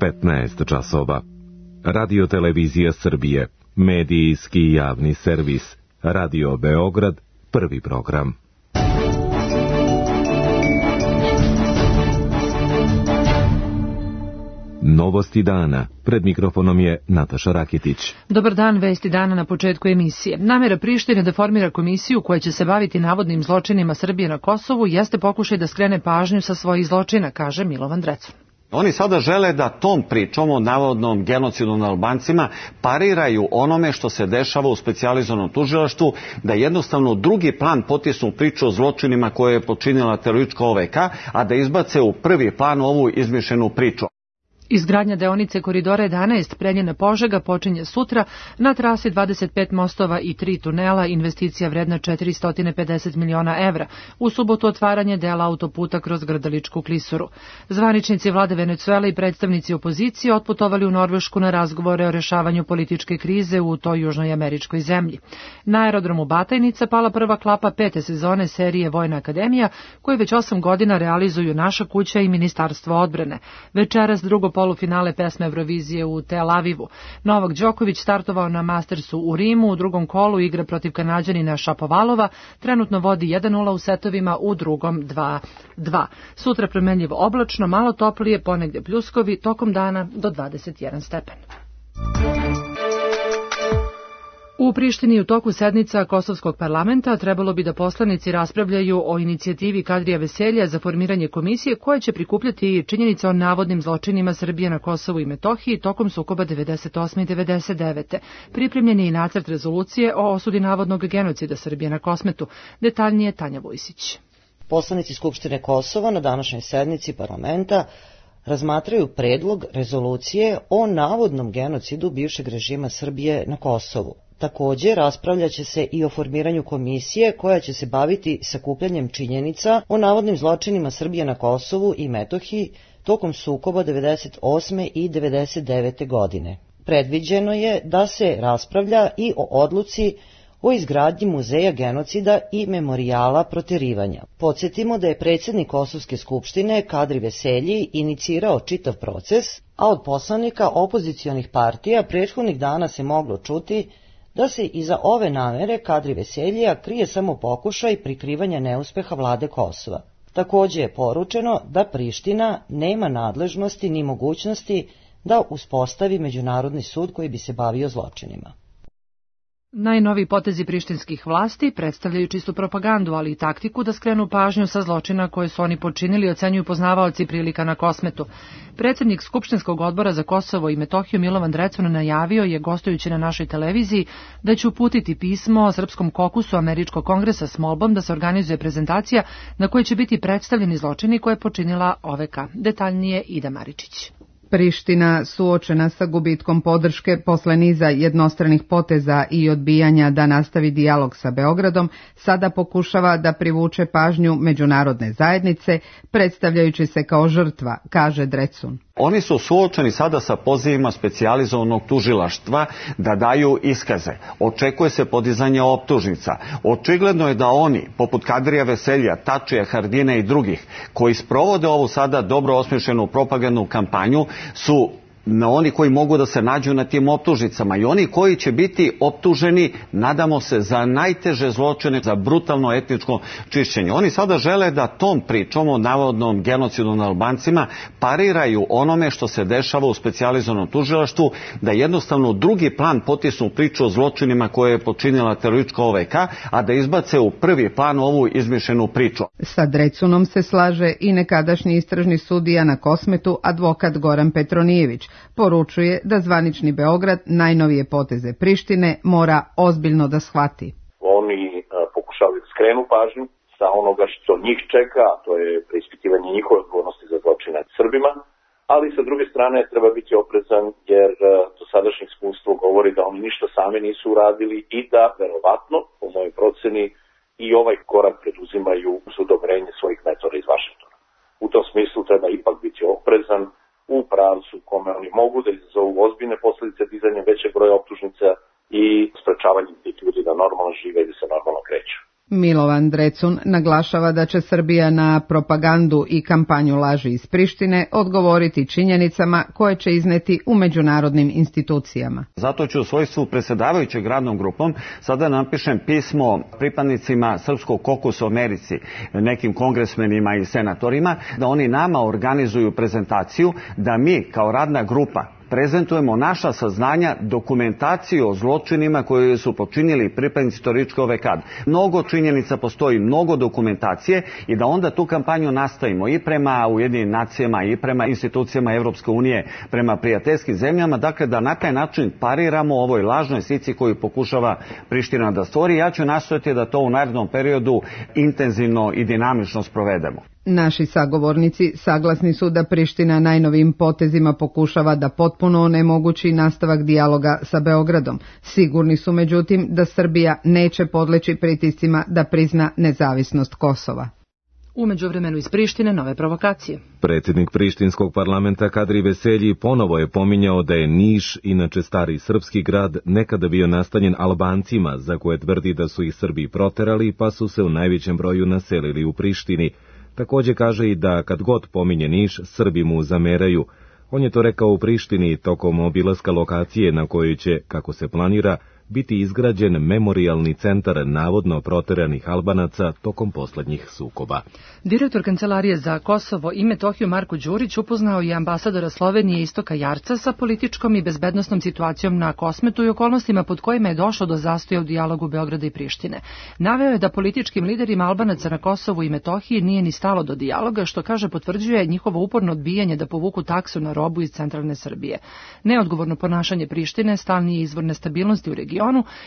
15 časova. Radio Televizija Srbije, medijski javni servis, Radio Beograd, prvi program. Novosti dana. Pred mikrofonom je Nataša Raketić. Dobar dan, vesti dana na početku emisije. Namera Prištine da formira komisiju koja će se baviti navodnim zločinima Srbije na Kosovu jeste pokušaj da skrene pažnju sa svojih zločina, kaže Milovan Drecun. Oni sada žele da tom pričom o navodnom genocidu na Albancima pariraju onome što se dešava u specijalizovanom tužilaštvu, da jednostavno u drugi plan potisnu priču o zločinima koje je počinila teroristička OVK, a da izbace u prvi plan ovu izmišljenu priču. Izgradnja deonice Koridora 11 Preljina-Požega počinje sutra na trasi 25 mostova i 3 tunela, investicija vredna 450 miliona evra. U subotu otvaranje dela autoputa kroz Grdeličku klisuru. Zvaničnici vlade Venecuele i predstavnici opozicije otputovali u Norvešku na razgovore o rešavanju političke krize u toj južnoj američkoj zemlji. Na aerodromu Batajnica pala prva klapa 5. sezone serije Vojna akademija, koju već 8 godina realizuju Naša kuća i Ministarstvo odbrane. Večeras drugo polufinale pesme Eurovizije u Tel Avivu. Novak Đoković startovao na Mastersu u Rimu, u drugom kolu igra protiv Kanađanina Šapovalova, trenutno vodi 1-0 u setovima, u drugom 2-2. Sutra promenljivo oblačno, malo toplije, ponegdje pljuskovi, tokom dana do 21 stepen. U Prištini u toku sednica Kosovskog parlamenta trebalo bi da poslanici raspravljaju o inicijativi Kadrija Veselja za formiranje komisije koja će prikupljati činjenice o navodnim zločinima Srbije na Kosovu i Metohiji tokom sukoba 98. i 99. Pripremljen je i nacrt rezolucije o osudi navodnog genocida Srbije na Kosmetu. Detaljnije Tanja Vojsić. Poslanici Skupštine Kosova na današnjoj sednici parlamenta razmatraju predlog rezolucije o navodnom genocidu bivšeg režima Srbije na Kosovu. Također, raspravljaće se i o formiranju komisije koja će se baviti sakupljanjem činjenica o navodnim zločinima Srbije na Kosovu i Metohiji tokom sukoba 98. i 99. godine. Predviđeno je da se raspravlja i o odluci o izgradnji muzeja genocida i memorijala proterivanja. Podsjetimo da je predsjednik Kosovske skupštine Kadri Veselji inicirao čitav proces, a od poslanika opozicionih partija prethodnih dana se moglo čuti da se iza ove namere Kadri Veseljija krije samo pokušaj prikrivanja neuspeha vlade Kosova. Također je poručeno da Priština nema nadležnosti ni mogućnosti da uspostavi međunarodni sud koji bi se bavio zločinima. Najnoviji potezi prištinskih vlasti predstavljaju čistu propagandu, ali i taktiku da skrenu pažnju sa zločina koje su oni počinili, ocenjuju poznavaoci prilika na Kosmetu. Predsjednik Skupštinskog odbora za Kosovo i Metohiju Milovan Drecun najavio je, gostujući na našoj televiziji, da će uputiti pismo Srpskom kokusu Američkog kongresa s molbom da se organizuje prezentacija na kojoj će biti predstavljeni zločini koje je počinila OVK. Detaljnije Ida Maričić. Priština, suočena sa gubitkom podrške posle niza jednostranih poteza i odbijanja da nastavi dijalog sa Beogradom, sada pokušava da privuče pažnju međunarodne zajednice, predstavljajući se kao žrtva, kaže Drecun. Oni su suočeni sada sa pozivima specijalizovanog tužilaštva da daju iskaze. Očekuje se podizanje optužnica. Očigledno je da oni, poput Kadrija Veselja, Tačija, Hardina i drugih, koji sprovode ovu sada dobro osmišljenu propagandnu kampanju, su oni koji mogu da se nađu na tim optužnicama i oni koji će biti optuženi, nadamo se, za najteže zločine, za brutalno etničko čišćenje. Oni sada žele da tom pričom o navodnom genocidu na Albancima pariraju onome što se dešava u specijalizovanom tužilaštvu, da jednostavno u drugi plan potisnu priču o zločinima koje je počinila teroristička OVK, a da izbace u prvi plan ovu izmišljenu priču. Sa Drecunom se slaže i nekadašnji istražni sudija na Kosmetu, advokat Goran Petronijević. Poručuje da zvanični Beograd najnovije poteze Prištine mora ozbiljno da shvati. Oni pokušavaju da skrenu pažnju sa onoga što njih čeka, a to je preispitivanje njihove odgovornosti za zločine nad Srbima, ali sa druge strane treba biti oprezan jer dosadašnje iskustvo govori da oni ništa sami nisu uradili i da verovatno, po mojoj proceni, i ovaj korak preduzimaju uz odobrenje svojih metoda iz Vašingtona. U tom smislu treba ipak biti oprezan u pravcu kome oni mogu da izazovu ozbiljne posljedice dizanjem većeg broja optužnica i sprečavanjem tih ljudi da normalno žive i da se normalno kreću. Milovan Drecun naglašava da će Srbija na propagandu i kampanju laži iz Prištine odgovoriti činjenicama koje će izneti u međunarodnim institucijama. Zato ću u svojstvu predsjedavajućeg radnom grupom sada napišem pismo pripadnicima Srpskog kokusa u Americi, nekim kongresmenima i senatorima, da oni nama organizuju prezentaciju, da mi kao radna grupa prezentujemo naša saznanja, dokumentaciju o zločinima koje su počinili pripadnici terorističke OVK. Mnogo činjenica postoji, mnogo dokumentacije i da onda tu kampanju nastavimo i prema Ujedinjenim nacijama i prema institucijama Evropske unije, prema prijateljskim zemljama, dakle da na taj način pariramo ovoj lažnoj slici koju pokušava Priština da stvori. Ja ću nastojati da to u narednom periodu intenzivno i dinamično sprovedemo. Naši sagovornici saglasni su da Priština najnovim potezima pokušava da potpuno onemogući nastavak dijaloga sa Beogradom. Sigurni su međutim da Srbija neće podleći pritiscima da prizna nezavisnost Kosova. U međuvremenu iz Prištine nove provokacije. Predsjednik Prištinskog parlamenta Kadri Veselji ponovo je pominjao da je Niš, inače stari srpski grad, nekada bio nastanjen Albancima, za koje tvrdi da su ih Srbi proterali pa su se u najvećem broju naselili u Prištini. Također kaže i da kad god pominje Niš, Srbi mu zameraju. On je to rekao u Prištini tokom obilaska lokacije na kojoj će, kako se planira, biti izgrađen memorijalni centar navodno proteranih Albanaca tokom posljednjih sukoba. Direktor Kancelarije za Kosovo i Metohiju Marko Đurić upoznao je ambasadora Slovenije Istoka Jarca sa političkom i bezbednosnom situacijom na Kosmetu i okolnostima pod kojima je došlo do zastoja u dijalogu Beograda i Prištine. Naveo je da političkim liderima Albanaca na Kosovu i Metohiji nije ni stalo do dijaloga, što kaže potvrđuje njihovo uporno odbijanje da povuku taksu na robu iz centralne Srbije. Neodgovorno ponašanje Prištine stalni je izvor nestabilnosti u regionu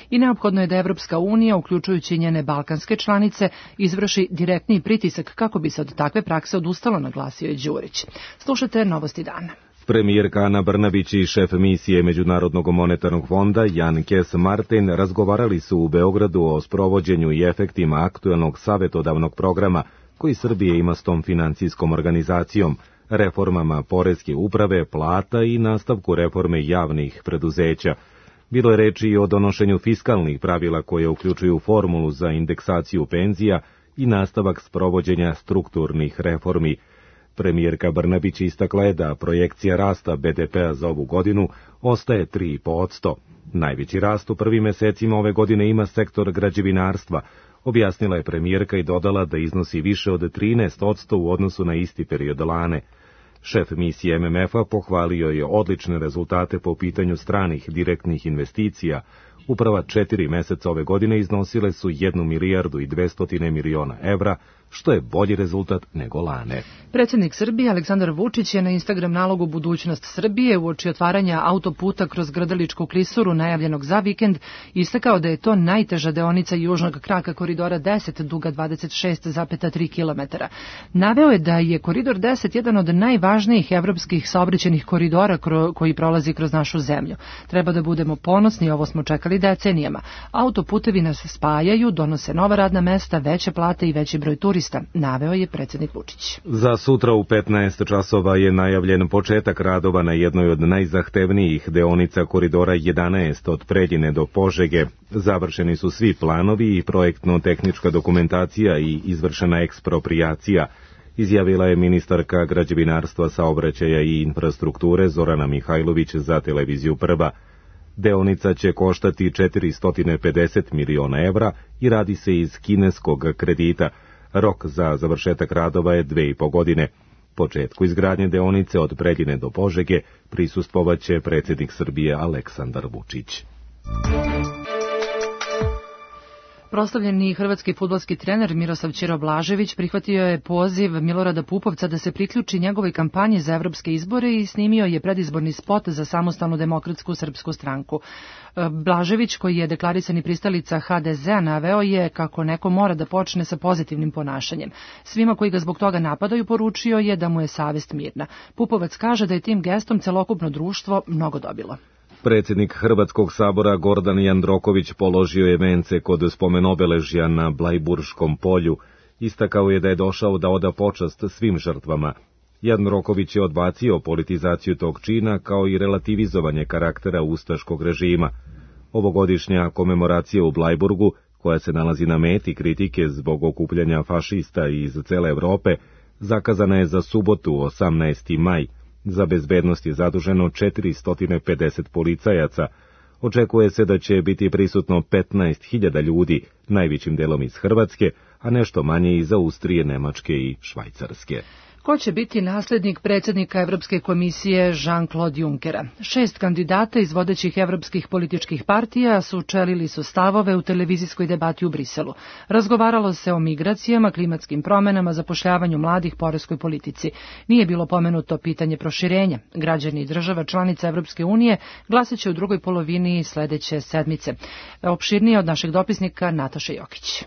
i neophodno je da Evropska unija, uključujući njene balkanske članice, izvrši direktni pritisak kako bi se od takve prakse odustalo, naglasio je Đurić. Slušajte novosti dana. Premijerka Ana Brnabić i šef misije Međunarodnog monetarnog fonda Jan Kees Martin razgovarali su u Beogradu o sprovođenju i efektima aktuelnog savjetodavnog programa koji Srbije ima s tom financijskom organizacijom, reformama poreske uprave, plata i nastavku reforme javnih preduzeća. Bilo je reči i o donošenju fiskalnih pravila koje uključuju formulu za indeksaciju penzija i nastavak sprovođenja strukturnih reformi. Premijerka Brnabić istakla je da projekcija rasta BDP-a za ovu godinu ostaje 3,5%. Najveći rast u prvim mesecima ove godine ima sektor građevinarstva, objasnila je premijerka i dodala da iznosi više od 13% u odnosu na isti period lane. Šef misije MMF-a pohvalio je odlične rezultate po pitanju stranih direktnih investicija. U prva 4 meseca ove godine iznosile su 1 milijardu i 200 miliona evra, što je bolji rezultat nego lane. Predsjednik Srbije Aleksandar Vučić je na Instagram nalogu Budućnost Srbije uoči otvaranja autoputa kroz Grdeličku klisuru najavljenog za vikend istakao da je to najteža deonica južnog kraka koridora 10 duga 26,3 km. Naveo je da je koridor 10 jedan od najvažnijih evropskih saobraćajnih koridora koji prolazi kroz našu zemlju. Treba da budemo ponosni, ovo smo čekali decenijama. Autoputevi nas spajaju, donose nova radna mesta, veće plate i veći broj turista, naveo je predsjednik Vučić. Za sutra u 15 časova je najavljen početak radova na jednoj od najzahtevnijih deonica koridora 11 od Preljine do Požege. Završeni su svi planovi i projektno-tehnička dokumentacija i izvršena eksproprijacija, izjavila je ministarka građevinarstva, saobraćaja i infrastrukture Zorana Mihajlović za televiziju Prva. Deonica će koštati 450 miliona evra i radi se iz kineskog kredita. Rok za završetak radova je 2,5 godine. Početku izgradnje deonice od Preljine do Požege prisustvovaće predsjednik Srbije Aleksandar Vučić. Proslavljeni hrvatski fudbalski trener Miroslav Ćiro Blažević prihvatio je poziv Milorada Pupovca da se priključi njegovoj kampanji za evropske izbore i snimio je predizborni spot za Samostalnu demokratsku srpsku stranku. Blažević, koji je deklarisani pristalica HDZ-a, naveo je kako neko mora da počne sa pozitivnim ponašanjem. Svima koji ga zbog toga napadaju poručio je da mu je savest mirna. Pupovac kaže da je tim gestom celokupno društvo mnogo dobilo. Predsjednik Hrvatskog sabora Gordan Jandroković položio je vence kod spomenobeležja na Blajburškom polju. Istakao je da je došao da oda počast svim žrtvama. Jandroković je odbacio politizaciju tog čina kao i relativizovanje karaktera ustaškog režima. Ovogodišnja komemoracija u Blajburgu, koja se nalazi na meti kritike zbog okupljanja fašista iz cele Evrope, zakazana je za subotu 18. maj. Za bezbednost je zaduženo 450 policajaca. Očekuje se da će biti prisutno 15.000 ljudi, najvećim delom iz Hrvatske, a nešto manje iz Austrije, Nemačke i Švajcarske. Ko će biti naslednik predsjednika Evropske komisije Jean-Claude Junckera? 6 kandidata iz vodećih evropskih političkih partija sučelili su stavove u televizijskoj debati u Briselu. Razgovaralo se o migracijama, klimatskim promenama, zapošljavanju mladih, poreskoj politici. Nije bilo pomenuto pitanje proširenja. Građani država članica Evropske unije glasat će u drugoj polovini sledeće sedmice. Opširnije od našeg dopisnika Nataše Jokić.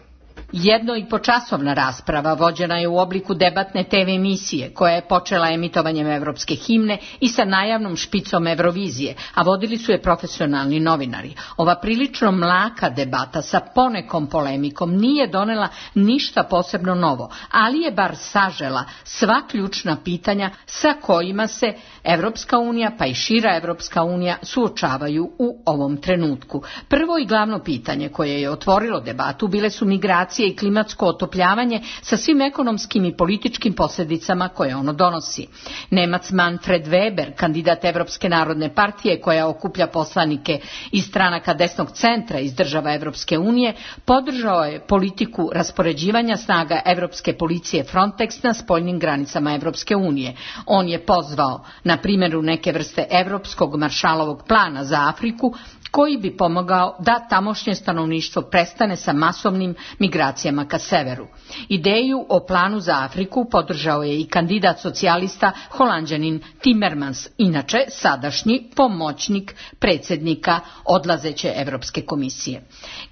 1,5-časovna rasprava vođena je u obliku debatne TV emisije koja je počela emitovanjem evropske himne i sa najavnom špicom Eurovizije, a vodili su je profesionalni novinari. Ova prilično mlaka debata sa ponekom polemikom nije donela ništa posebno novo, ali je bar sažela sva ključna pitanja sa kojima se Evropska unija pa i šira Evropska unija suočavaju u ovom trenutku. Prvo i glavno pitanje koje je otvorilo debatu bile su migracije i klimatsko otopljavanje sa svim ekonomskim i političkim posljedicama koje ono donosi. Nemac Manfred Weber, kandidat Evropske narodne partije koja okuplja poslanike iz stranaka desnog centra iz država Evropske unije, podržao je politiku raspoređivanja snaga Evropske policije Frontex na spoljnim granicama Evropske unije. On je pozvao na primjeru neke vrste Evropskog maršalovog plana za Afriku, koji bi pomogao da tamošnje stanovništvo prestane sa masovnim migracijama ka severu. Ideju o planu za Afriku podržao je i kandidat socijalista Holanđanin Timmermans, inače sadašnji pomoćnik predsjednika odlazeće Evropske komisije.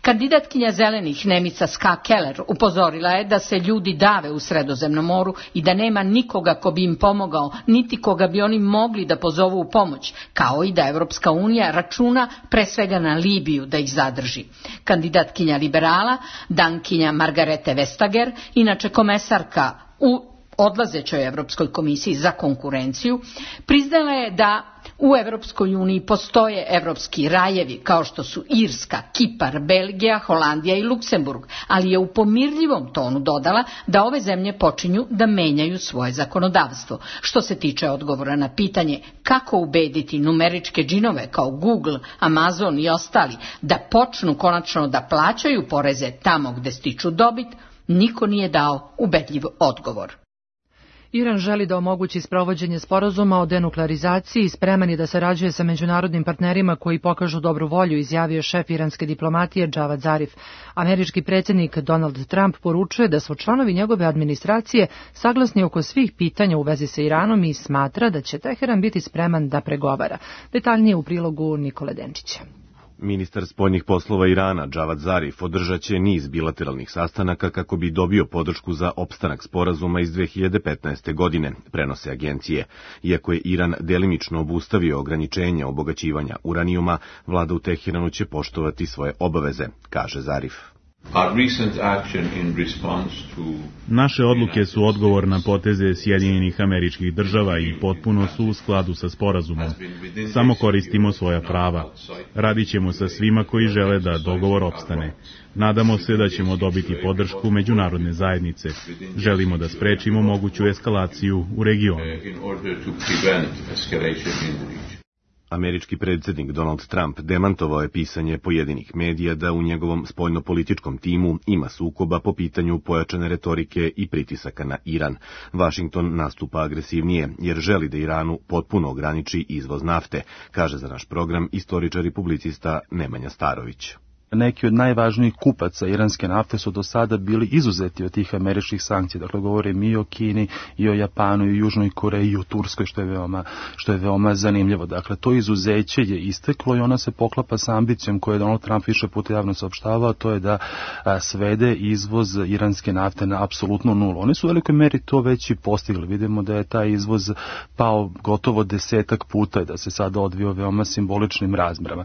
Kandidatkinja zelenih Nemica Ska Keller upozorila je da se ljudi dave u Sredozemnom moru i da nema nikoga ko bi im pomogao, niti koga bi oni mogli da pozovu u pomoć, kao i da Evropska unija računa pre svega na Libiju da ih zadrži. Kandidatkinja liberala, dankinja Margarete Vestager, inače komesarka u odlazećoj Evropskoj komisiji za konkurenciju, priznala je da u Evropskoj uniji postoje evropski rajevi kao što su Irska, Kipar, Belgija, Holandija i Luksemburg, ali je u pomirljivom tonu dodala da ove zemlje počinju da menjaju svoje zakonodavstvo. Što se tiče odgovora na pitanje kako ubediti numeričke džinove kao Google, Amazon i ostali da počnu konačno da plaćaju poreze tamo gde stiču dobit, niko nije dao ubedljiv odgovor. Iran želi da omogući sprovođenje sporazuma o denuklearizaciji i spreman je da sarađuje sa međunarodnim partnerima koji pokažu dobru volju, izjavio šef iranske diplomatije Javad Zarif. Američki predsjednik Donald Trump poručuje da su članovi njegove administracije saglasni oko svih pitanja u vezi sa Iranom i smatra da će Teheran biti spreman da pregovara. Detaljnije u prilogu Nikole Denčića. Ministar spoljnih poslova Irana, Javad Zarif, održaće niz bilateralnih sastanaka kako bi dobio podršku za opstanak sporazuma iz 2015. godine, prenose agencije. Iako je Iran delimično obustavio ograničenja obogaćivanja uranijuma, vlada u Teheranu će poštovati svoje obaveze, kaže Zarif. Naše odluke su odgovor na poteze Sjedinjenih Američkih Država i potpuno su u skladu sa sporazumom. Samo koristimo svoja prava. Radit ćemo sa svima koji žele da dogovor opstane. Nadamo se da ćemo dobiti podršku međunarodne zajednice. Želimo da sprečimo moguću eskalaciju u regionu. Američki predsjednik Donald Trump demantovao je pisanje pojedinih medija da u njegovom spoljnopolitičkom timu ima sukoba po pitanju pojačane retorike i pritisaka na Iran. Washington nastupa agresivnije jer želi da Iranu potpuno ograniči izvoz nafte, kaže za naš program istoričar i publicista Nemanja Starović. Neki od najvažnijih kupaca iranske nafte su do sada bili izuzeti od tih američkih sankcija. Dakle, govorim i o Kini, i o Japanu, i o Južnoj Koreji, i o Turskoj, što je veoma zanimljivo. Dakle, to izuzeće je isteklo i ona se poklapa sa ambicijom koju je Donald Trump više puta javno saopštavao, to je da svede izvoz iranske nafte na apsolutnu nulu. Oni su u velikoj meri to već i postigli. Vidimo da je taj izvoz pao gotovo 10 puta i da se sada odvio veoma simboličnim razmerama.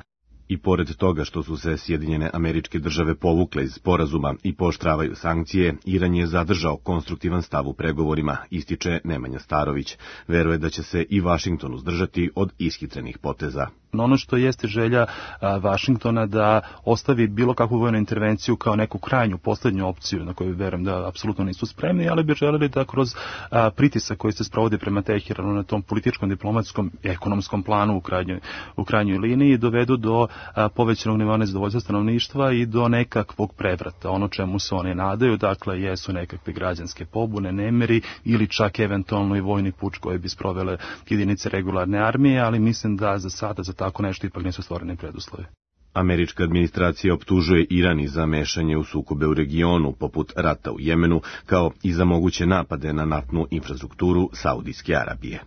I pored toga što su se Sjedinjene Američke Države povukle iz sporazuma i pooštravaju sankcije, Iran je zadržao konstruktivan stav u pregovorima, ističe Nemanja Starović. Veruje da će se i Vašington uzdržati od ishitrenih poteza. Ono što jeste želja Vašingtona da ostavi bilo kakvu vojnu intervenciju kao neku krajnju, poslednju opciju na koju verujem da apsolutno nisu spremni, ali bi želeli da kroz pritisak koji se sprovodi prema Teheranu na tom političkom, diplomatskom i ekonomskom planu u krajnjoj liniji dovedu do povećanog nivoa nezadovoljstva stanovništva i do nekakvog prevrata. Ono čemu se oni nadaju, dakle, jesu nekakve građanske pobune, nemiri ili čak eventualno i vojni puč koji bi sprovele jedinice regularne armije, ali mislim da za sada za tako nešto ipak nisu stvoreni preduslovi. Američka administracija optužuje Iran i za mešanje u sukobe u regionu, poput rata u Jemenu, kao i za moguće napade na naftnu infrastrukturu Saudijske Arabije.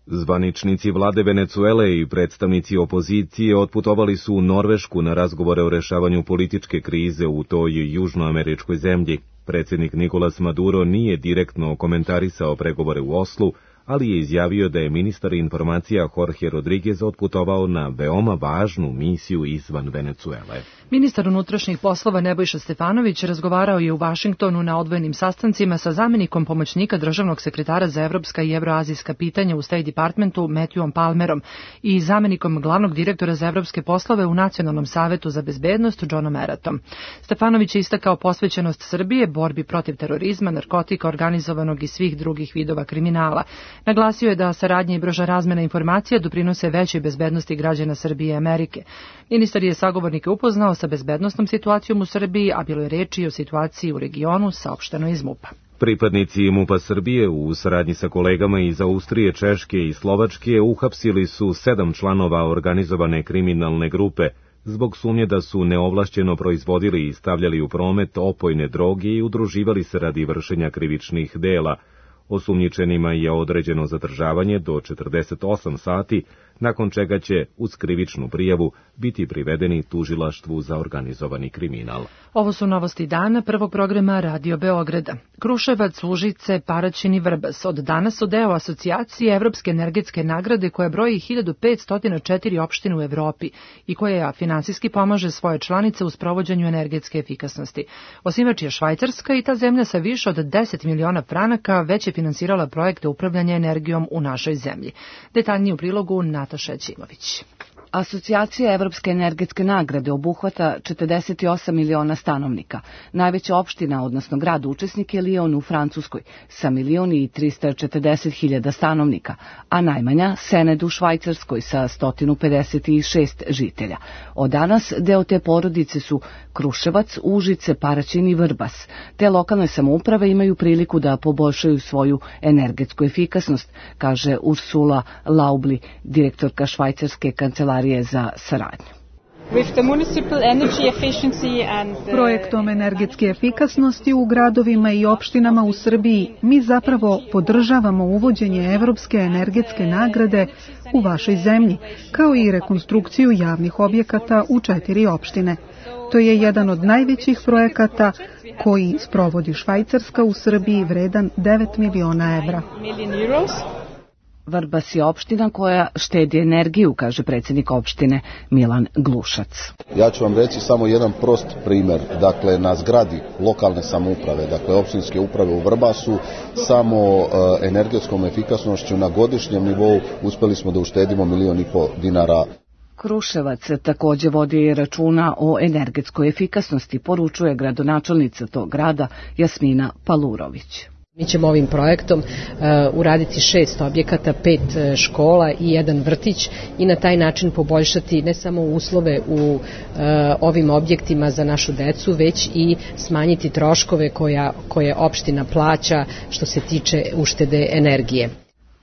Zvaničnici vlade Venecuele i predstavnici opozicije otputovali su u Norvešku na razgovore o rešavanju političke krize u toj južnoameričkoj zemlji. Predsjednik Nicolas Maduro nije direktno komentarisao pregovore u Oslu, ali je izjavio da je ministar informacija Jorge Rodriguez otputovao na veoma važnu misiju izvan Venecuele. Ministar unutrašnjih poslova Nebojša Stefanović razgovarao je u Vašingtonu na odvojenim sastancima sa zamenikom pomoćnika državnog sekretara za evropska i evroazijska pitanja u State Departmentu Matthewom Palmerom i zamenikom glavnog direktora za evropske poslove u Nacionalnom savetu za bezbednost Johnom Eratom. Stefanović je istakao posvećenost Srbije borbi protiv terorizma, narkotika, organizovanog i svih drugih vidova kriminala. Naglasio je da saradnja i brža razmena informacija doprinose većoj bezbednosti građana Srbije i Amerike. Ministar je sagovornike upoznao sa bezbednosnom situacijom u Srbiji, a bilo je reči o situaciji u regionu, saopšteno iz MUP-a. Pripadnici MUP-a Srbije u saradnji sa kolegama iz Austrije, Češke i Slovačke uhapsili su 7 članova organizovane kriminalne grupe zbog sumnje da su neovlašćeno proizvodili i stavljali u promet opojne droge i udruživali se radi vršenja krivičnih dela. Osumnjičenima je određeno zadržavanje do 48 sati, nakon čega će uz krivičnu prijavu biti privedeni tužilaštvu za organizovani kriminal. Ovo su novosti dana prvog programa Radio Beograda. Kruševac, Užice, Paraćin i Vrbas od danas su deo asocijacije Evropske energetske nagrade koja broji 1504 opštine u Evropi i koja finansijski pomaže svoje članice u sprovođenju energetske efikasnosti. Osnivač je Švajcarska i ta zemlja sa više od 10 miliona franaka već je finansirala projekte upravljanja energijom u našoj zemlji. Detaljnije u prilogu Nataša Ćimović. Asocijacija Evropske energetske nagrade obuhvata 48 miliona stanovnika. Najveća opština, odnosno grad učesnik je Lyon u Francuskoj sa 1.340.000 stanovnika, a najmanja Sened u Švajcarskoj sa 156 žitelja. Od danas deo te porodice su Kruševac, Užice, Paraćin i Vrbas. Te lokalne samouprave imaju priliku da poboljšaju svoju energetsku efikasnost, kaže Ursula Laubli, direktorka švajcarske kancelarije za saradnju. Projektom energetske efikasnosti u gradovima i opštinama u Srbiji mi zapravo podržavamo uvođenje Evropske energetske nagrade u vašoj zemlji, kao i rekonstrukciju javnih objekata u 4 opštine. To je jedan od najvećih projekata koji sprovodi Švajcarska u Srbiji vredan 9 miliona evra. Vrbas je opština koja štedi energiju, kaže predsjednik opštine Milan Glušac. Ja ću vam reći samo jedan prost primjer. Dakle, na zgradi lokalne samouprave, dakle opštinske uprave u Vrbasu, samo energetskom efikasnošću na godišnjem nivou uspjeli smo da uštedimo 1,5 miliona dinara. Kruševac također vodi računa o energetskoj efikasnosti, poručuje gradonačelnica tog grada Jasmina Palurović. Mi ćemo ovim projektom uraditi 6 objekata, 5 škola i 1 vrtić i na taj način poboljšati ne samo uslove u ovim objektima za našu decu, već i smanjiti troškove koje opština plaća što se tiče uštede energije.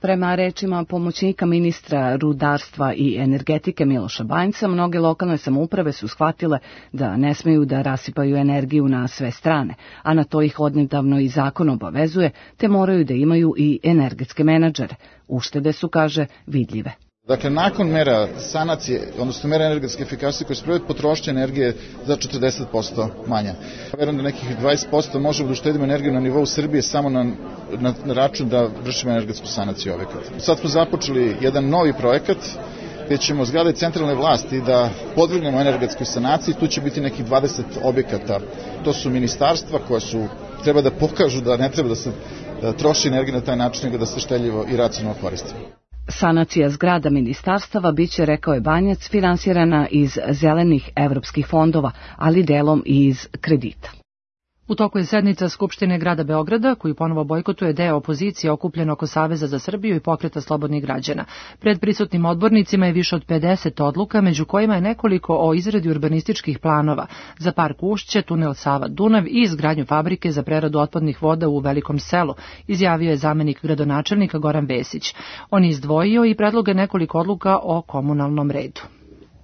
Prema rečima pomoćnika ministra rudarstva i energetike Miloša Banjca, mnoge lokalne samouprave su shvatile da ne smeju da rasipaju energiju na sve strane, a na to ih odnedavno i zakon obavezuje, te moraju da imaju i energetske menadžere. Uštede su, kaže, vidljive. Dakle, nakon mera sanacije, odnosno mera energetske efikasnosti koje se provede, potrošnja energije za 40% manja. Verujem da nekih 20% možemo da uštedimo energiju na nivou Srbije samo na račun da vršimo energetsku sanaciju objekata. Sad smo započeli jedan novi projekat gde ćemo zgrade centralne vlasti da podvrgnemo energetskoj sanaciji. Tu će biti nekih 20 objekata. To su ministarstva koja treba da pokažu da ne treba da se troši energija na taj način, nego da se štedljivo i racionalno koristi. Sanacija zgrada ministarstava biće, rekao je Banjac, finansirana iz zelenih evropskih fondova, ali delom i iz kredita. U toku je sednica Skupštine grada Beograda, koju ponovo bojkotuje deo opozicije okupljen oko Saveza za Srbiju i Pokreta slobodnih građana. Pred prisutnim odbornicima je više od 50 odluka, među kojima je nekoliko o izradi urbanističkih planova za park Ušće, tunel Sava-Dunav i izgradnju fabrike za preradu otpadnih voda u Velikom Selu, izjavio je zamenik gradonačelnika Goran Vesić. On je izdvojio i predloge nekoliko odluka o komunalnom redu.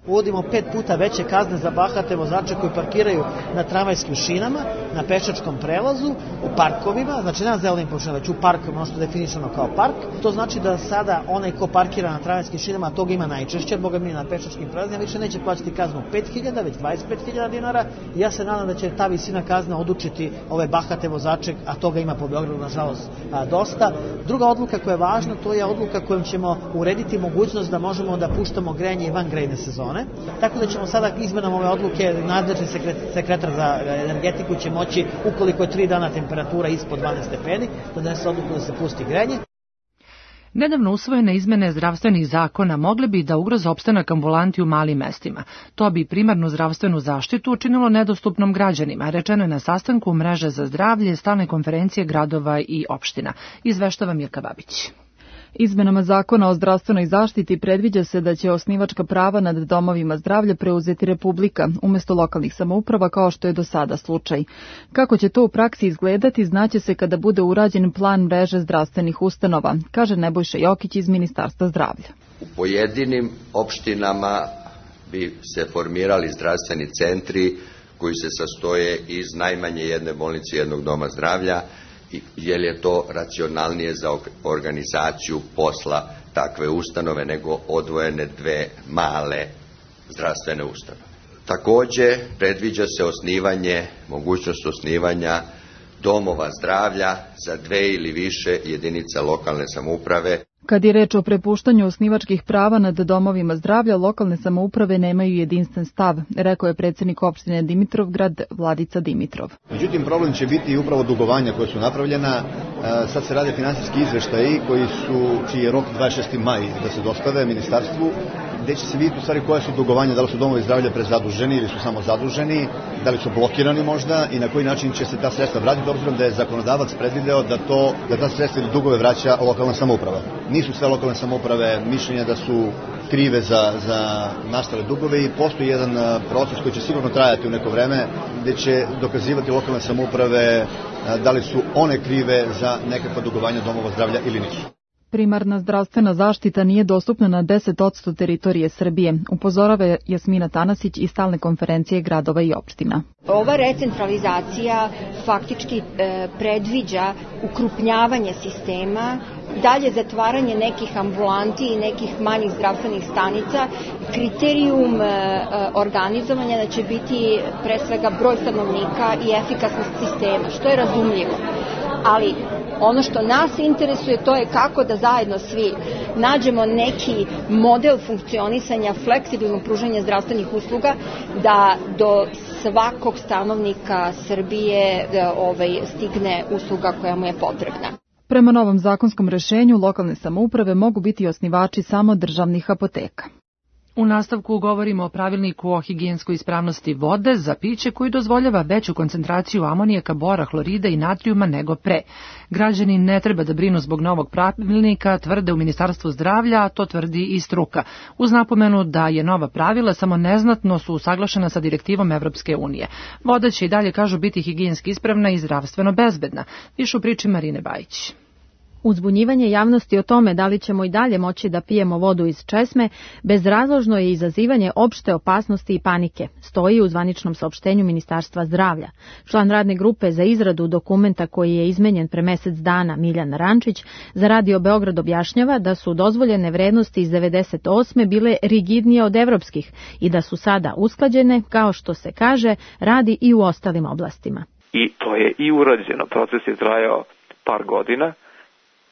Uvodimo 5 puta veće kazne za bahate vozače koji parkiraju na tramvajskim šinama, na pešačkom prelazu, u parkovima, znači ne na zelenim površinama, već u parkovima, ono što je definisano kao park. To znači da sada onaj ko parkira na tramvajskim šinama, toga ima najčešće, boga mi na pešačkim prelazima, više neće plaćati kaznu 5.000, već 25.000 dinara. Ja se nadam da će ta visina kazna odučiti ove bahate vozače, a toga ima po Beogradu, nažalost, dosta. Druga odluka koja je važna, to je odluka kojom ćemo urediti mogućnost da možemo da puštamo grejanje i van grejne sezone. Tako da ćemo sada izmenom ove odluke, nadležni sekretar za energetiku će moći, ukoliko je 3 dana temperatura ispod 12 stepeni, da donese odluku da se pusti grejanje. Nedavno usvojene izmene zdravstvenih zakona mogle bi da ugroze opstanak ambulanti u malim mestima. To bi primarnu zdravstvenu zaštitu učinilo nedostupnom građanima, rečeno je na sastanku Mreže za zdravlje, stalne konferencije gradova i opština. Izveštava Mirka Babić. Izmenama zakona o zdravstvenoj zaštiti predviđa se da će osnivačka prava nad domovima zdravlja preuzeti Republika, umesto lokalnih samouprava kao što je do sada slučaj. Kako će to u praksi izgledati, znaće se kada bude urađen plan mreže zdravstvenih ustanova, kaže Nebojša Jokić iz Ministarstva zdravlja. U pojedinim opštinama bi se formirali zdravstveni centri koji se sastoje iz najmanje jedne bolnice i jednog doma zdravlja, jer je to racionalnije za organizaciju posla takve ustanove nego odvojene 2 male zdravstvene ustanove. Takođe, predviđa se mogućnost osnivanja domova zdravlja za 2 ili više jedinica lokalne samouprave. Kad je reč o prepuštanju osnivačkih prava nad domovima zdravlja, lokalne samouprave nemaju jedinstven stav, rekao je predsjednik opštine Dimitrovgrad Vladica Dimitrov. Međutim, problem će biti upravo dugovanja koja su napravljena. Sad se rade finansijski izveštaji čiji je rok 26. maj da se dostave ministarstvu, gde će se vidjeti u stvari koja su dugovanja, da li su domovi zdravlja prezaduženi ili su samo zaduženi, da li su blokirani možda i na koji način će se ta sredstva vratiti, obzirom da je zakonodavac predvideo da ta sredstva ili dugove vraća lokalna samouprava. Nisu sve lokalne samouprave mišljenja da su krive za nastale dugove i postoji jedan proces koji će sigurno trajati u neko vreme, gde će dokazivati lokalne samouprave da li su one krive za nekakva dugovanja domova zdravlja ili nisu. Primarna zdravstvena zaštita nije dostupna na 10% teritorije Srbije, upozorava Jasmina Tanasić iz stalne konferencije gradova i opština. Ova recentralizacija faktički predviđa ukrupnjavanje sistema, dalje zatvaranje nekih ambulanti i nekih manjih zdravstvenih stanica. Kriterijum organizovanja da će biti pre svega broj stanovnika i efikasnost sistema, što je razumljivo. Ali ono što nas interesuje to je kako da zajedno svi nađemo neki model funkcionisanja, fleksibilnog pružanja zdravstvenih usluga, da do svakog stanovnika Srbije stigne usluga koja mu je potrebna. Prema novom zakonskom rešenju, lokalne samouprave mogu biti osnivači samo državnih apoteka. U nastavku govorimo o pravilniku o higijenskoj ispravnosti vode za piće koji dozvoljava veću koncentraciju amonijaka, bora, hlorida i natrijuma nego pre. Građani ne treba da brinu zbog novog pravilnika, tvrde u Ministarstvu zdravlja, a to tvrdi i struka. Uz napomenu da je nova pravila samo neznatno su usaglašena sa direktivom Evropske unije. Voda će i dalje, kažu, biti higijenski ispravna i zdravstveno bezbedna. Više u priči Marine Bajić. Uzbunjivanje javnosti o tome da li ćemo i dalje moći da pijemo vodu iz česme bezrazložno je izazivanje opšte opasnosti i panike, stoji u zvaničnom saopštenju Ministarstva zdravlja. Član radne grupe za izradu dokumenta koji je izmenjen pre mesec dana, Miljan Rančić, za Radio Beograd objašnjava da su dozvoljene vrednosti iz 98. bile rigidnije od evropskih i da su sada usklađene, kao što se kaže, radi i u ostalim oblastima. I to je i urađeno, proces je trajao par godina.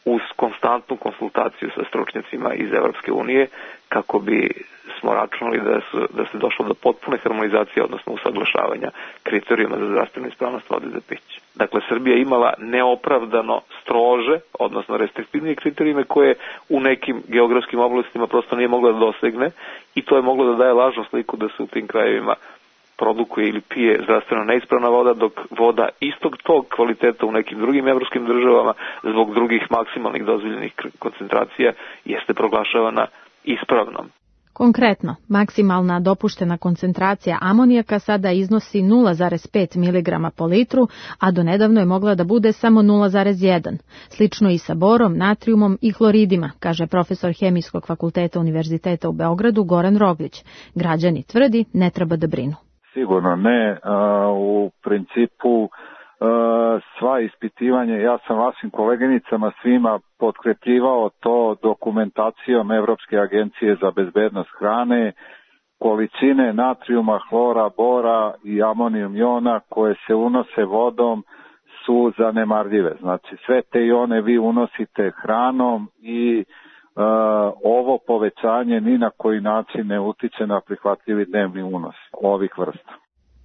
uz konstantnu konsultaciju sa stručnjacima iz Evropske unije, kako bi smo računali da se došlo do potpune harmonizacije, odnosno usaglašavanja kriterijuma za zdravstvenu ispravnost vode za piće. Dakle, Srbija je imala neopravdano strože, odnosno restriktivnije kriterijume koje u nekim geografskim oblastima prosto nije mogla da dosegne, i to je moglo da daje lažnu sliku da se u tim krajevima produkuje ili pije zdravstveno neispravna voda, dok voda istog tog kvaliteta u nekim drugim evropskim državama zbog drugih maksimalnih dozvoljenih koncentracija jeste proglašavana ispravnom. Konkretno, maksimalna dopuštena koncentracija amonijaka sada iznosi 0,5 mg po litru, a donedavno je mogla da bude samo 0,1. Slično i sa borom, natrijumom i hloridima, kaže profesor Hemijskog fakulteta Univerziteta u Beogradu Goran Roglić. Građani tvrdi ne treba da brinu. Sigurno ne, u principu sva ispitivanja, ja sam vašim koleginicama svima potkrepljivao to dokumentacijom Evropske agencije za bezbednost hrane, količine natrijuma, hlora, bora i amonijum jona koje se unose vodom su zanemarljive. Znači sve te jone vi unosite hranom i ovo povećanje ni na koji način ne utiče na prihvatljivi dnevni unos ovih vrsta.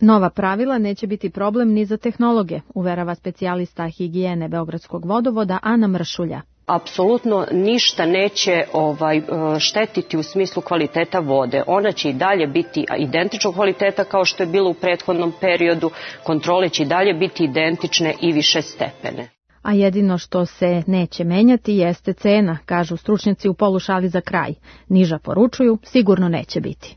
Nova pravila neće biti problem ni za tehnologe, uverava specijalista higijene Beogradskog vodovoda Ana Mršulja. Apsolutno ništa neće štetiti u smislu kvaliteta vode. Ona će i dalje biti identičnog kvaliteta kao što je bilo u prethodnom periodu. Kontrole će i dalje biti identične i više stepene. A jedino što se neće menjati jeste cena, kažu stručnjaci u polušali za kraj. Niža poručuju, sigurno neće biti.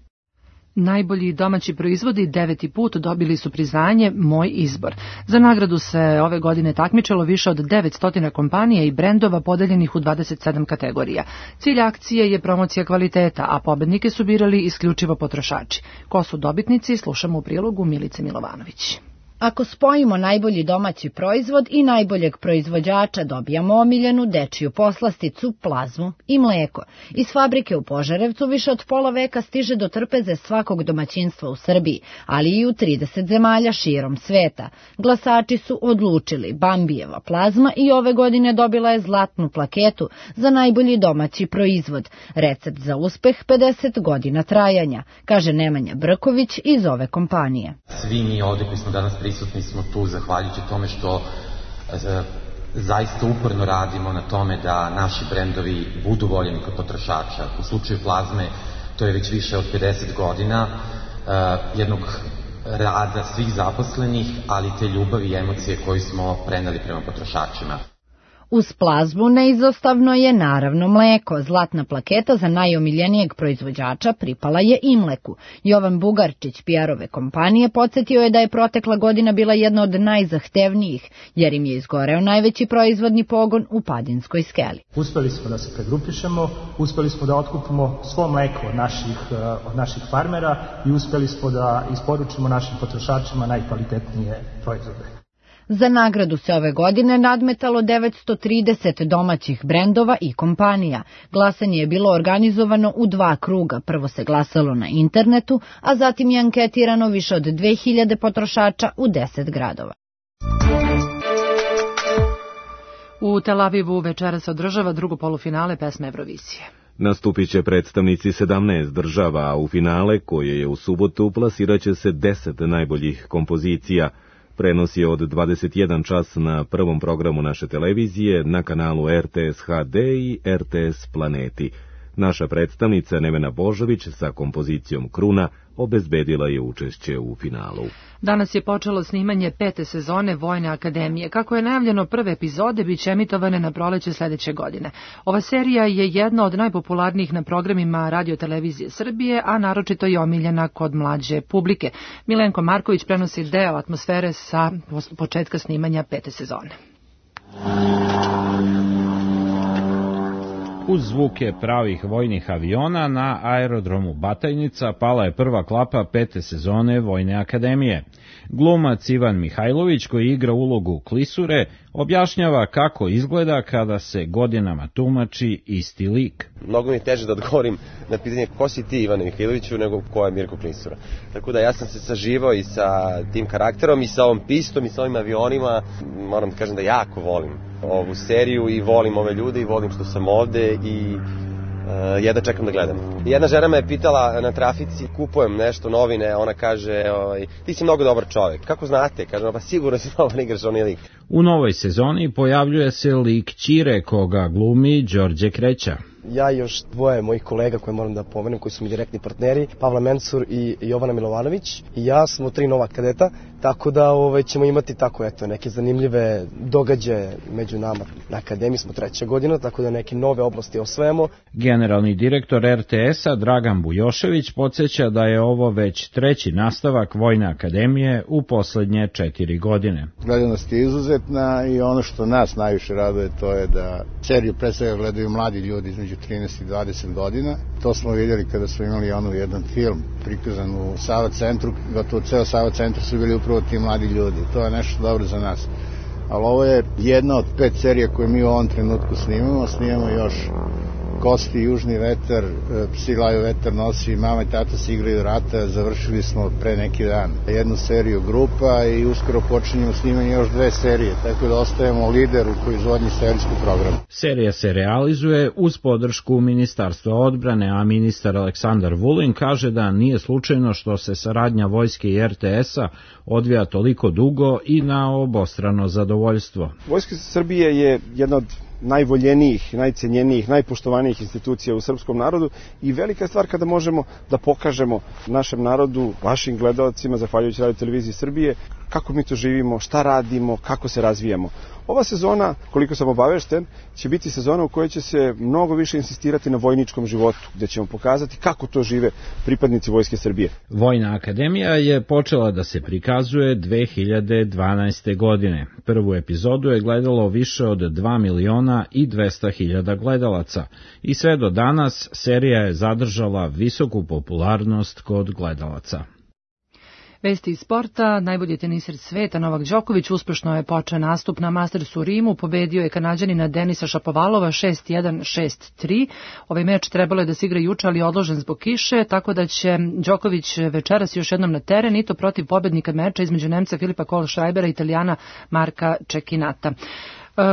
Najbolji domaći proizvodi 9. put dobili su priznanje Moj izbor. Za nagradu se ove godine takmičilo više od 900 kompanija i brendova podeljenih u 27 kategorija. Cilj akcije je promocija kvaliteta, a pobednike su birali isključivo potrošači. Ko su dobitnici, slušamo u prilogu Milice Milovanović. Ako spojimo najbolji domaći proizvod i najboljeg proizvođača, dobijamo omiljenu dečiju poslasticu, plazmu i mleko. Iz fabrike u Požarevcu više od pola veka stiže do trpeze svakog domaćinstva u Srbiji, ali i u 30 zemalja širom sveta. Glasači su odlučili, Bambijeva plazma i ove godine dobila je zlatnu plaketu za najbolji domaći proizvod. Recept za uspeh 50 godina trajanja, kaže Nemanja Brković iz ove kompanije. Svi mi ovde koji smo danas prisutni smo tu zahvaljujući tome što zaista uporno radimo na tome da naši brendovi budu voljeni kod potrošača. U slučaju plazme to je već više od 50 godina jednog rada svih zaposlenih, ali te ljubavi i emocije koje smo preneli prema potrošačima. Uz plazmu neizostavno je naravno mleko. Zlatna plaketa za najomiljenijeg proizvođača pripala je Imleku. Jovan Bugarčić, PR-ove kompanije, podsjetio je da je protekla godina bila jedna od najzahtevnijih, jer im je izgoreo najveći proizvodni pogon u Padinskoj skeli. Uspeli smo da se pregrupišemo, uspeli smo da otkupimo svo mleko od naših farmera i uspeli smo da isporučimo našim potrošačima najkvalitetnije proizvode. Za nagradu se ove godine nadmetalo 930 domaćih brendova i kompanija. Glasanje je bilo organizovano u 2 kruga. Prvo se glasalo na internetu, a zatim je anketirano više od 2000 potrošača u 10 gradova. U Tel Avivu večera se održava drugo polufinale pesme Eurovizije. Nastupit će predstavnici 17 država, a u finale, koje je u subotu, plasirat će se 10 najboljih kompozicija. Prenos je od 21 čas na prvom programu naše televizije, na kanalu RTS HD i RTS Planeti. Naša predstavnica Nevena Božović sa kompozicijom Kruna obezbedila je učešće u finalu. Danas je počelo snimanje 5. sezone Vojne akademije. Kako je najavljeno, prve epizode biće emitovane na proleće sledeće godine. Ova serija je jedna od najpopularnijih na programima Radio-televizije Srbije, a naročito je omiljena kod mlađe publike. Milenko Marković prenosi deo atmosfere sa početka snimanja 5. sezone. Uz zvuke pravih vojnih aviona na aerodromu Batajnica pala je prva klapa 5. sezone Vojne akademije. Glumac Ivan Mihajlović, koji igra ulogu Klisure, objašnjava kako izgleda kada se godinama tumači isti lik. Mnogo mi je teže da odgovorim na pitanje ko si ti, Ivane Mihajloviću, nego ko je Mirko Klisura. Tako da ja sam se saživao i sa tim karakterom i sa ovom pistom i sa ovim avionima. Moram da kažem da jako volim ovu seriju i volim ove ljude i volim što sam ovde i jedva čekam da gledam. Jedna žena me je pitala na trafici, kupujem nešto, novine, ona kaže, ti si mnogo dobar čovjek. Kako znate? Kažem, pa sigurno si dobar igrač, on je lik. U novoj sezoni pojavljuje se lik Ćire, koga glumi Đorđe Kreća. Ja i još dvoje mojih kolega koje moram da pomenem, koji su mi direktni partneri, Pavla Mencur i Jovana Milovanović. I ja smo 3 nova kadeta, tako da ćemo imati neke zanimljive događaje među nama. Na akademiji smo 3. godina, tako da neke nove oblasti osvajamo. Generalni direktor RTS-a Dragan Bujošević podsjeća da je ovo već 3. nastavak Vojne akademije u poslednje 4 godine. Gledanost je izuzetna i ono što nas najviše raduje to je da seriju pre svega gledaju mladi ljudi između 13 i 20 godina. To smo vidjeli kada smo imali jedan film prikazan u Sava centru, gotovo ceo Sava centar su bili upravo ti mladi ljudi. To je nešto dobro za nas. Ali ovo je jedna od 5 serija koje mi u ovom trenutku snimamo još Kosti, Južni vetar, Psi laju, vetar nosi, Mama i tata se igraju rata. Završili smo pre neki dan jednu seriju grupa i uskoro počinjemo snimanje još 2 serije, tako da ostajemo lider u proizvodnji serijskog programa. Serija se realizuje uz podršku Ministarstva odbrane, a ministar Aleksandar Vulin kaže da nije slučajno što se saradnja vojske i RTS-a odvija toliko dugo i na obostrano zadovoljstvo. Vojska Srbije je jedna od najvoljenijih, najcenjenijih, najpoštovanijih institucija u srpskom narodu i velika stvar kada možemo da pokažemo našem narodu, vašim gledalcima, zahvaljujući Radio televiziji Srbije, kako mi to živimo, šta radimo, kako se razvijamo. Ova sezona, koliko sam obavešten, će biti sezona u kojoj će se mnogo više insistirati na vojničkom životu, gdje ćemo pokazati kako to žive pripadnici Vojske Srbije. Vojna akademija je počela da se prikazuje 2012. godine. Prvu epizodu je gledalo više od 2.200.000 gledalaca i sve do danas serija je zadržala visoku popularnost kod gledalaca. Vesti iz sporta, najbolji teniser sveta Novak Đoković uspešno je počeo nastup na Mastersu u Rimu, pobedio je Kanađanina Denisa Šapovalova 6-1, 6-3. Ovaj meč trebalo je da se igra juče, ali je odložen zbog kiše, tako da će Đoković večeras još jednom na teren i to protiv pobednika meča između Nemca Filipa Kohlschreibera i Italijana Marka Čekinata.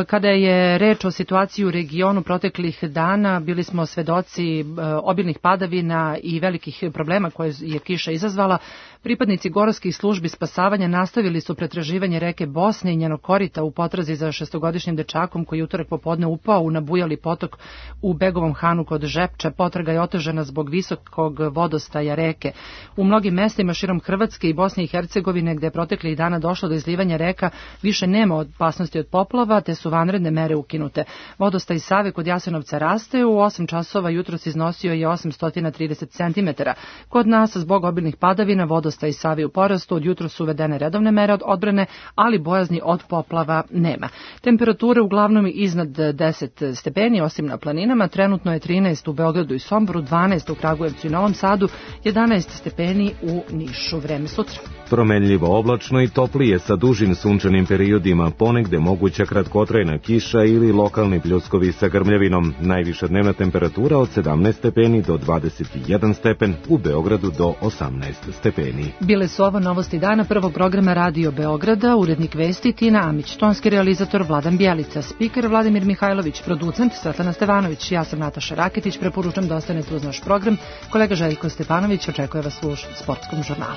Kada je reč o situaciji u regionu proteklih dana, bili smo svedoci obilnih padavina i velikih problema koje je kiša izazvala. Pripadnici gorskih službi spasavanja nastavili su pretraživanje reke Bosne i njenog korita u potrazi za 6-godišnjim dečakom koji utorak popodne upao u nabujali potok u Begovom Hanu kod Žepča. Potraga je otežana zbog visokog vodostaja reke. U mnogim mestima širom Hrvatske i Bosne i Hercegovine, gde je proteklih dana došlo do izlivanja reka, više nema opasnosti od poplava, te su vanredne mere ukinute. Vodostaj Save kod Jasenovca raste, u 8 časova jutros iznosio je 830 cm. Kod nas, zbog obilnih padavina, vodostaj Save u porastu, od jutros su uvedene redovne mere od odbrane, ali bojazni od poplava nema. Temperature uglavnom iznad 10 stepeni, osim na planinama. Trenutno je 13 u Beogradu i Somboru, 12 u Kragujevcu i Novom Sadu, 11 stepeni u Nišu. Vreme sutra. Promenljivo oblačno i toplije sa dužim sunčanim periodima, ponegde moguća kratkotrajna kiša ili lokalni pljuskovi sa grmljavinom. Najviša dnevna temperatura od 17 stepeni do 21 stepen, u Beogradu do 18 stepeni. Bile su ovo novosti dana prvog programa Radio Beograda, urednik vesti Tina Amić, tonski realizator Vladan Bjelica, spiker Vladimir Mihajlović, producent Svetlana Stevanović. Ja sam Nataša Raketić, preporučam da ostanete uz naš program. Kolega Željko Stepanović očekuje vas u sportskom žurnalu.